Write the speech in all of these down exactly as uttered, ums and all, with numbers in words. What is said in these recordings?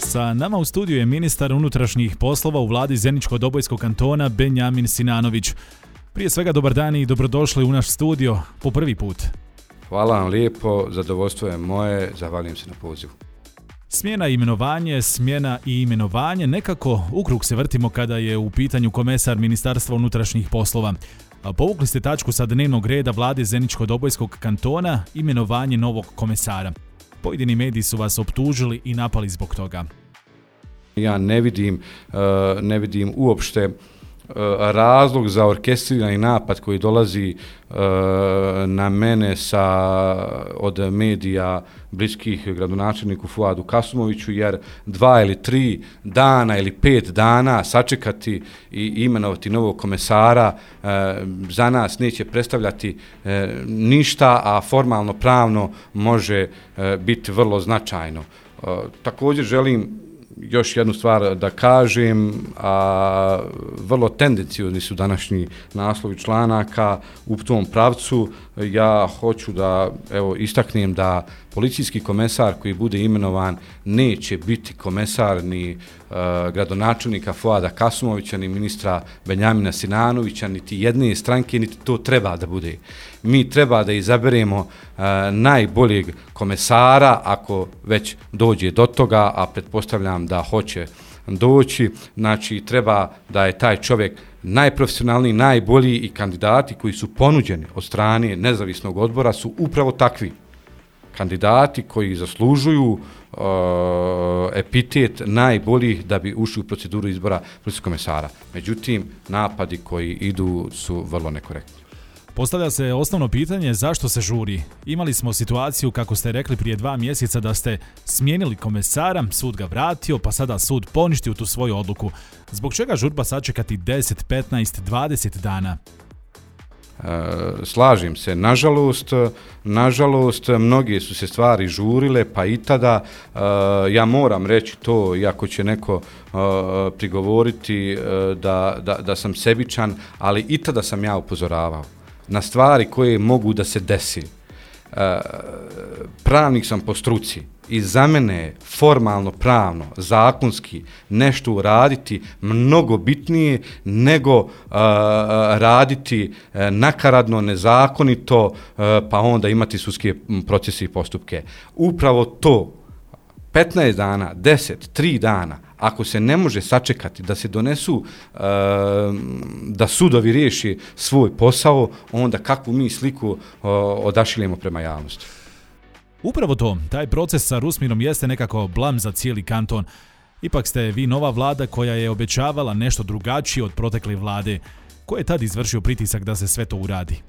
Sa nama u studiju je ministar unutrašnjih poslova u vladi Zeničko-Dobojskog kantona Benjamin Sinanović. Prije svega dobar dan i dobrodošli u naš studio po prvi put. Hvala vam lijepo, zadovoljstvo je moje, zahvaljujem se na pozivu. Smjena i imenovanje, smjena i imenovanje, nekako u krug se vrtimo kada je u pitanju komesar Ministarstva unutrašnjih poslova. Povukli ste tačku sa dnevnog reda vlade Zeničko-Dobojskog kantona, imenovanje novog komesara. Pojedini mediji su vas optužili i napali zbog toga. Ja ne vidim, ne vidim uopšte razlog za orkestrirani napad koji dolazi na mene sa, od medija bliskih gradonačelniku Fuadu Kasumoviću, jer dva ili tri dana ili pet dana sačekati i imenovati novog komesara za nas neće predstavljati ništa, a formalno pravno može biti vrlo značajno. Također želim još jednu stvar da kažem, a vrlo tendenciozni su današnji naslovi članaka u tom pravcu. Ja hoću da evo istaknem da policijski komesar koji bude imenovan neće biti komesar ni uh, gradonačelnika Fuada Kasumovića, ni ministra Benjamina Sinanovića, niti jedne stranke, niti to treba da bude. Mi treba da izaberemo uh, najboljeg komesara, ako već dođe do toga, a pretpostavljam da hoće doći, znači treba da je taj čovjek najprofesionalniji, najbolji, i kandidati koji su ponuđeni od strane nezavisnog odbora su upravo takvi kandidati koji zaslužuju uh, epitet najboljih da bi ušli u proceduru izbora policijskog komesara. Međutim, napadi koji idu su vrlo nekorektni. Postavlja se osnovno pitanje zašto se žuri. Imali smo situaciju, kako ste rekli prije dva mjeseca, da ste smijenili komesara, sud ga vratio, pa sada sud poništio tu svoju odluku. Zbog čega žurba sačekati deset, petnaest, dvadeset dana? Slažem se, nažalost, nažalost, mnoge su se stvari žurile, pa i tada, ja moram reći to, iako će neko prigovoriti da, da, da sam sebičan, ali i tada sam ja upozoravao na stvari koje mogu da se desi. Pravnik sam po struci i za mene je formalno, pravno, zakonski nešto uraditi mnogo bitnije nego uh, raditi uh, nakaradno, nezakonito, uh, pa onda imati sudske procese i postupke. Upravo to, petnaest dana, deset, tri dana, ako se ne može sačekati da se donesu, uh, da sudovi riješi svoj posao, onda kakvu mi sliku uh, odašiljemo prema javnosti. Upravo to, taj proces sa Rusmirom jeste nekako blam za cijeli kanton. Ipak ste vi nova vlada koja je obećavala nešto drugačije od protekle vlade. Ko je tad izvršio pritisak da se sve to uradi?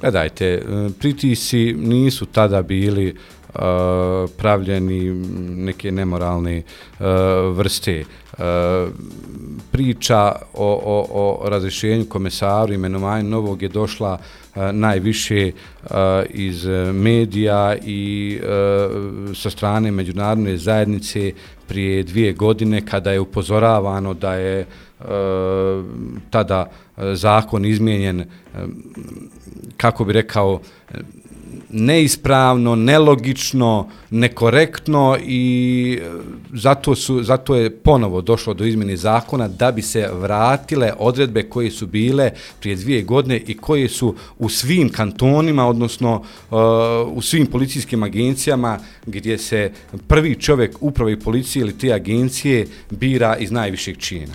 Gledajte, pritisci nisu tada bili uh, pravljeni neke nemoralne uh, vrste. Uh, priča o, o, o razrješenju komesaru, imenovanju novog je došla uh, najviše uh, iz medija i uh, sa strane međunarodne zajednice prije dvije godine, kada je upozoravano da je uh, tada zakon izmijenjen, uh, kako bi rekao, neispravno, nelogično, nekorektno, i zato, su, zato je ponovo došlo do izmjene zakona da bi se vratile odredbe koje su bile prije dvije godine i koje su u svim kantonima, odnosno uh, u svim policijskim agencijama gdje se prvi čovjek uprave policije ili te agencije bira iz najvišeg čina.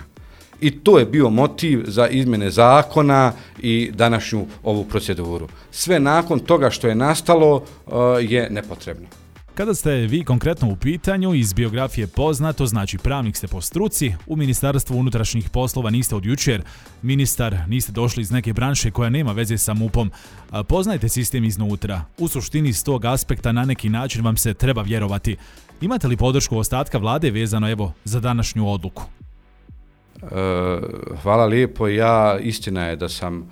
I to je bio motiv za izmjene zakona i današnju ovu proceduru. Sve nakon toga što je nastalo uh, je nepotrebno. Kada ste vi konkretno u pitanju, iz biografije poznato, znači pravnik ste po struci, u Ministarstvu unutrašnjih poslova niste od jučer, ministar, niste došli iz neke branše koja nema veze sa MUP-om, poznajete sistem iznutra. U suštini s tog aspekta na neki način vam se treba vjerovati. Imate li podršku ostatka vlade vezano evo za današnju odluku? Hvala lijepo. Ja, istina je da sam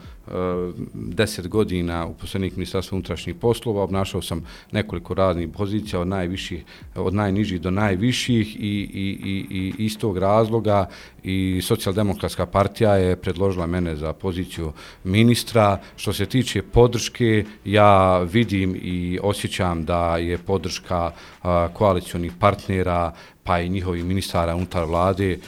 deset godina uposlenik Ministarstva unutrašnjih poslova, obnašao sam nekoliko raznih pozicija od najviših, od najnižih do najviših i, i, i, i iz tog razloga i Socijaldemokratska partija je predložila mene za poziciju ministra. Što se tiče podrške, ja vidim i osjećam da je podrška a, koalicionih partnera pa i njihovih ministara unutar vlade e,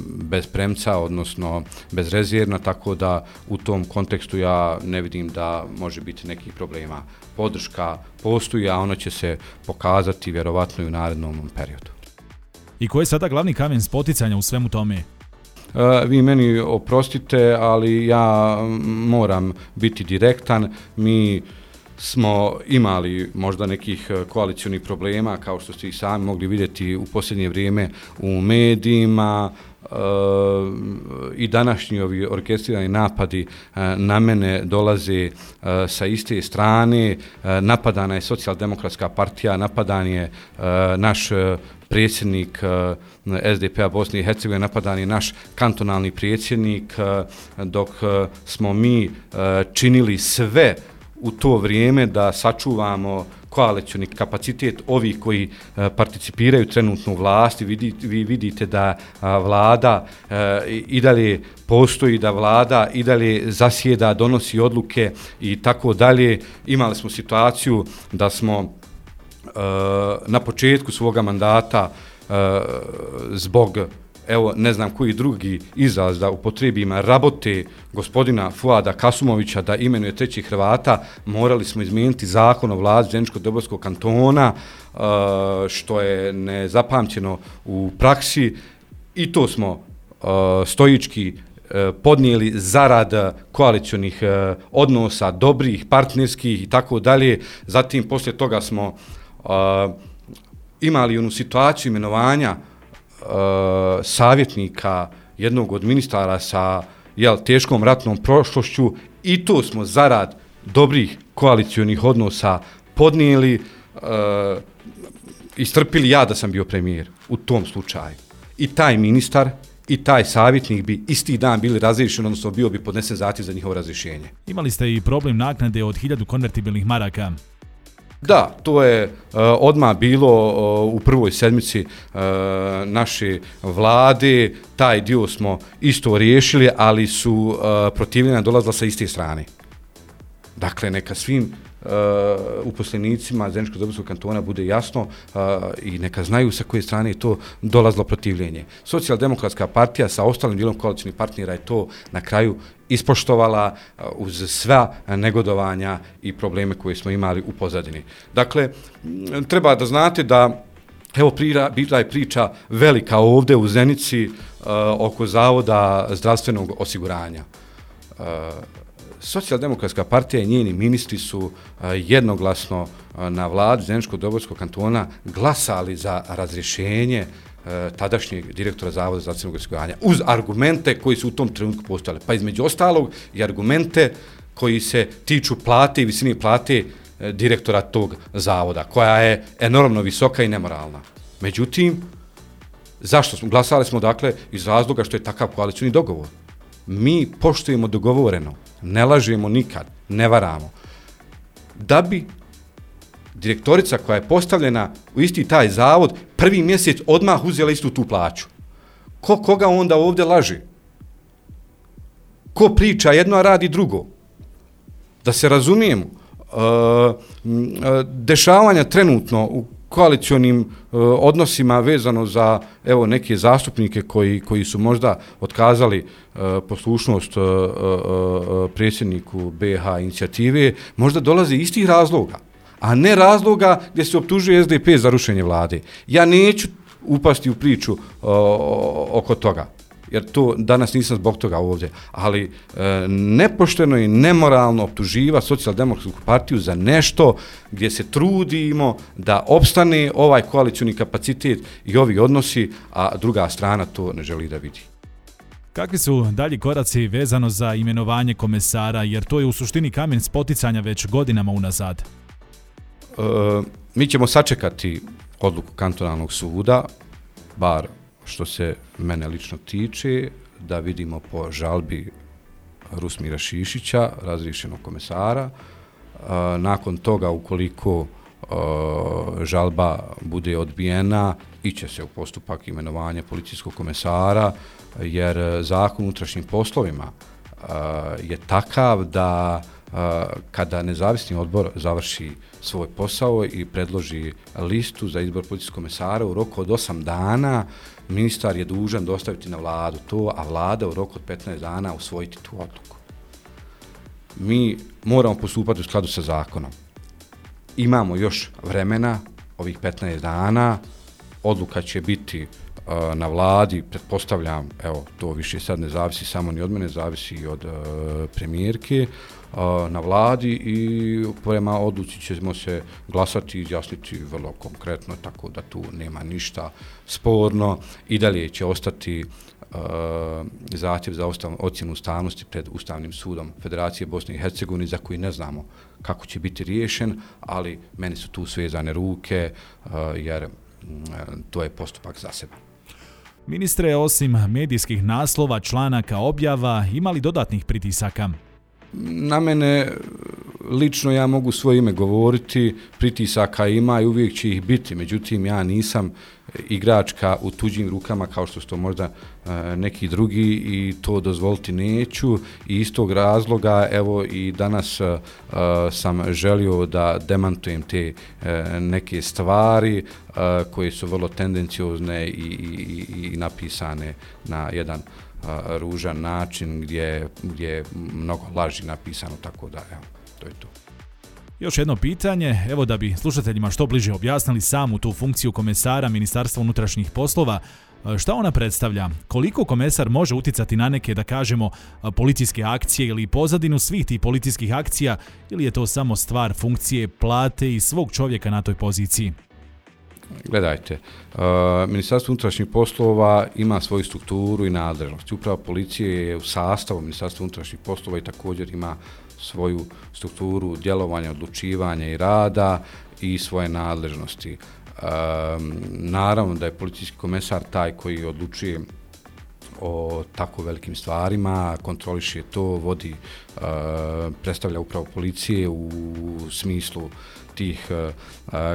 bez premca, odnosno bezrezervna, tako da u tom kontekstu ja ne vidim da može biti nekih problema. Podrška postoji, a ona će se pokazati vjerovatno i u narednom periodu. I koji je sada glavni kamen spoticanja u svemu tome? E, vi meni oprostite, ali ja moram biti direktan. Mi smo imali možda nekih koalicionih problema, kao što ste i sami mogli vidjeti u posljednje vrijeme u medijima, e, i današnji ovi orkestrirani napadi e, na mene dolaze e, sa iste strane. E, napadana je Socijaldemokratska partija, napadan je e, naš predsjednik S D P-a Bosne i Hercegovine, napadan je naš kantonalni predsjednik, e, dok smo mi e, činili sve u to vrijeme da sačuvamo koalicioni kapacitet ovih koji e, participiraju trenutno u vlasti. Vidi, vi vidite da a, vlada e, i dalje postoji, da vlada i dalje zasjeda, donosi odluke i tako dalje. Imali smo situaciju da smo e, na početku svoga mandata e, zbog evo, ne znam koji drugi izraz da upotrijebim, rabote gospodina Fuada Kasumovića da imenuje trećih Hrvata, morali smo izmijeniti zakon o vladi Zeničko-Dobojskog kantona, što je nezapamćeno u praksi, i to smo stoički podnijeli zarad koalicionih odnosa, dobrih, partnerskih i tako dalje. Zatim, poslije toga smo imali onu situaciju imenovanja Uh, savjetnika jednog od ministara sa jel, teškom ratnom prošlošću, i to smo zarad dobrih koalicionih odnosa podnijeli, uh, istrpili ja da sam bio premijer u tom slučaju. I taj ministar i taj savjetnik bi isti dan bili razriješeni, odnosno bio bi podnesen zahtjev za njihovo razrješenje. Imali ste i problem naknade od hiljadu konvertibilnih maraka. Da, to je uh, odmah bilo uh, u prvoj sedmici uh, naše vlade. Taj dio smo isto riješili, ali su uh, protivljenja dolazila sa iste strane. Dakle, neka svim uh, uposlenicima Zeničko-Dobojskog kantona bude jasno uh, i neka znaju sa koje strane je to dolazilo protivljenje. Socijaldemokratska partija sa ostalim dijelom koalicionih partnera je to na kraju ispoštovala uh, uz sva negodovanja i probleme koje smo imali u pozadini. Dakle, treba da znate da evo prira, bila je priča velika ovdje u Zenici uh, oko Zavoda zdravstvenog osiguranja. Uh, Socijaldemokratska partija i njeni ministri su uh, jednoglasno uh, na vladi Zeničko-Dobojskog kantona glasali za razrješenje uh, tadašnjeg direktora Zavoda zdravstvenog osiguranja uz argumente koji su u tom trenutku postojali. Pa između ostalog i argumente koji se tiču plate i visine plate uh, direktora tog zavoda, koja je enormno visoka i nemoralna. Međutim, zašto smo glasali smo, dakle, iz razloga što je takav koalicioni dogovor. Mi poštujemo dogovoreno, ne lažemo nikad, ne varamo. Da bi direktorica koja je postavljena u isti taj zavod prvi mjesec odmah uzela istu tu plaću. Ko koga onda ovdje laže? Ko priča jedno, a radi drugo? Da se razumijemo, dešavanja trenutno u koalicionim uh, odnosima vezano za evo neke zastupnike koji, koji su možda otkazali uh, poslušnost uh, uh, predsjedniku B iH inicijative, možda dolaze istih razloga, a ne razloga gdje se optužuje S D P za rušenje vlade. Ja neću upasti u priču uh, oko toga, jer to danas nisam zbog toga ovdje, ali e, nepošteno i nemoralno optuživa Socijaldemokratsku partiju za nešto gdje se trudimo da opstane ovaj koalicioni kapacitet i ovi odnosi, a druga strana to ne želi da vidi. Kakvi su dalji koraci vezano za imenovanje komesara, jer to je u suštini kamen spoticanja već godinama unazad? E, mi ćemo sačekati odluku kantonalnog suda, bar što se mene lično tiče, da vidimo po žalbi uh, Rusmira Šišića, razriješenog komesara. Nakon toga, ukoliko žalba bude odbijena, iće se u postupak imenovanja policijskog komesara, jer Zakon o unutrašnjim poslovima je takav da kada nezavisni odbor završi svoj posao i predloži listu za izbor policijskog komesara u roku od osam dana, ministar je dužan dostaviti na vladu to, a vlada u roku od petnaest dana usvojiti tu odluku. Mi moramo postupati u skladu sa zakonom. Imamo još vremena, ovih petnaest dana, odluka će biti uh, na vladi, pretpostavljam, evo, to više sad ne zavisi samo ni od mene, zavisi i od uh, premijerke, uh, na vladi i prema odluci ćemo se glasati i izjasniti vrlo konkretno, tako da tu nema ništa sporno. I dalje će ostati uh, zahtjev za ustav, ocjenu ustavnosti pred Ustavnim sudom Federacije Bosne i Hercegovine, za koji ne znamo kako će biti riješen, ali meni su tu svezane ruke, uh, jer to je postupak za sebe. Ministre, osim medijskih naslova, članaka, objava, ima li dodatnih pritisaka? Na mene lično ja mogu svoje ime govoriti, pritisaka ima i uvijek će ih biti, međutim ja nisam igračka u tuđim rukama kao što su to možda neki drugi i to dozvoliti neću i iz tog razloga evo i danas uh, sam želio da demantujem te uh, neke stvari uh, koje su vrlo tendenciozne i, i, i napisane na jedan uh, ružan način gdje, gdje je mnogo laži napisano, tako da evo, to je to. Još jedno pitanje, evo da bi slušateljima što bliže objasnili samu tu funkciju komesara Ministarstva unutrašnjih poslova, šta ona predstavlja? Koliko komesar može utjecati na neke, da kažemo, policijske akcije ili pozadinu svih tih policijskih akcija, ili je to samo stvar funkcije, plate i svog čovjeka na toj poziciji? Gledajte, uh, Ministarstvo unutrašnjih poslova ima svoju strukturu i nadležnost. Uprava policije je u sastavu Ministarstva unutrašnjih poslova i također ima svoju strukturu djelovanja, odlučivanja i rada i svoje nadležnosti. E, naravno da je policijski komesar taj koji odlučuje o tako velikim stvarima, kontroliše to, vodi, e, predstavlja upravo policije u smislu tih e,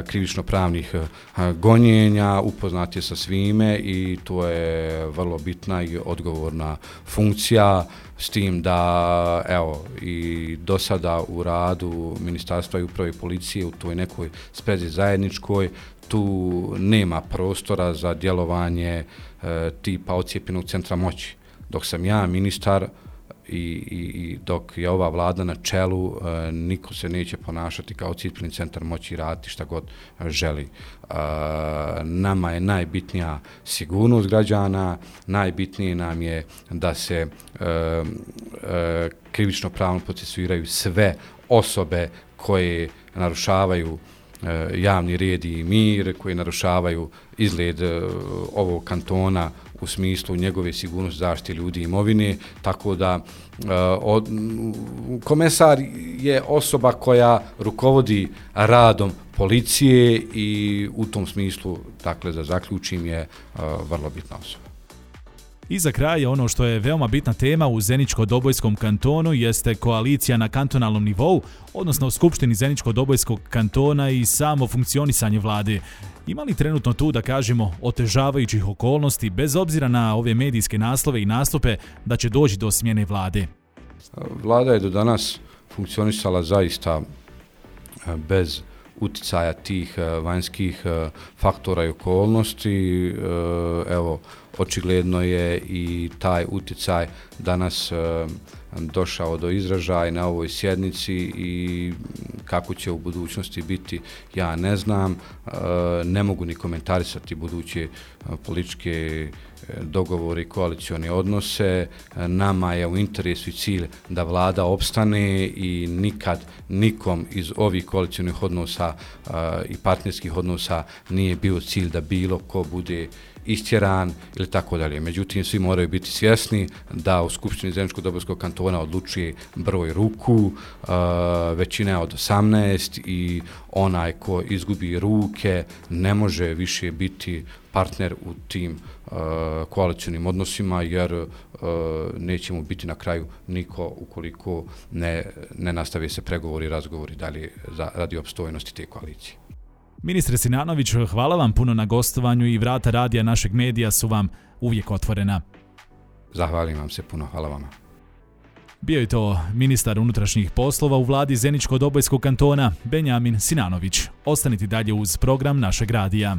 krivično-pravnih e, gonjenja, upoznat je sa svime i to je vrlo bitna i odgovorna funkcija, s tim da evo i do sada u radu Ministarstva i uprave policije u toj nekoj sprezi zajedničkoj tu nema prostora za djelovanje e, tipa ocijepljenog centra moći. Dok sam ja ministar i, i, i dok je ova vlada na čelu, e, niko se neće ponašati kao ocijepljen centar moći i raditi šta god želi. E, nama je najbitnija sigurnost građana, najbitnije nam je da se e, e, krivično pravno procesuiraju sve osobe koje narušavaju e, javni red i mir, koje narušavaju izgled e, ovog kantona u smislu njegove sigurnosti, zaštite ljudi i imovine, tako da uh, od, komesar je osoba koja rukovodi radom policije i u tom smislu, dakle, da zaključim, je uh, vrlo bitna osoba. I za kraj, ono što je veoma bitna tema u Zeničko-Dobojskom kantonu jeste koalicija na kantonalnom nivou, odnosno u Skupštini Zeničko-Dobojskog kantona i samo funkcionisanje vlade. Ima li trenutno tu, da kažemo, otežavajućih okolnosti, bez obzira na ove medijske naslove i nastupe, da će doći do smjene vlade? Vlada je do danas funkcionisala zaista bez uticaja tih vanjskih faktora i okolnosti. Evo, očigledno je i taj uticaj danas došao do izražaja na ovoj sjednici i kako će u budućnosti biti, ja ne znam, ne mogu ni komentarisati buduće političke dogovore i koalicione odnose. Nama je u interesu i cilj da vlada opstane i nikad nikom iz ovih koalicionih odnosa i partnerskih odnosa nije bio cilj da bilo ko bude istjeran ili tako dalje. Međutim, svi moraju biti svjesni da u Skupštini Zeničko-Dobojskog kantona odlučuje broj ruku, većina je od osamnaest i onaj ko izgubi ruke ne može više biti partner u tim uh, koalicionim odnosima, jer uh, neće mu biti na kraju niko ukoliko ne, ne nastave se pregovori i razgovori dalje za, radi opstojnosti te koalicije. Ministre Sinanović, hvala vam puno na gostovanju i vrata radija našeg medija su vam uvijek otvorena. Zahvaljujem vam se puno, hvala vama. Bio je to ministar unutrašnjih poslova u vladi Zeničko-Dobojskog kantona Benjamin Sinanović. Ostanite dalje uz program našeg radija.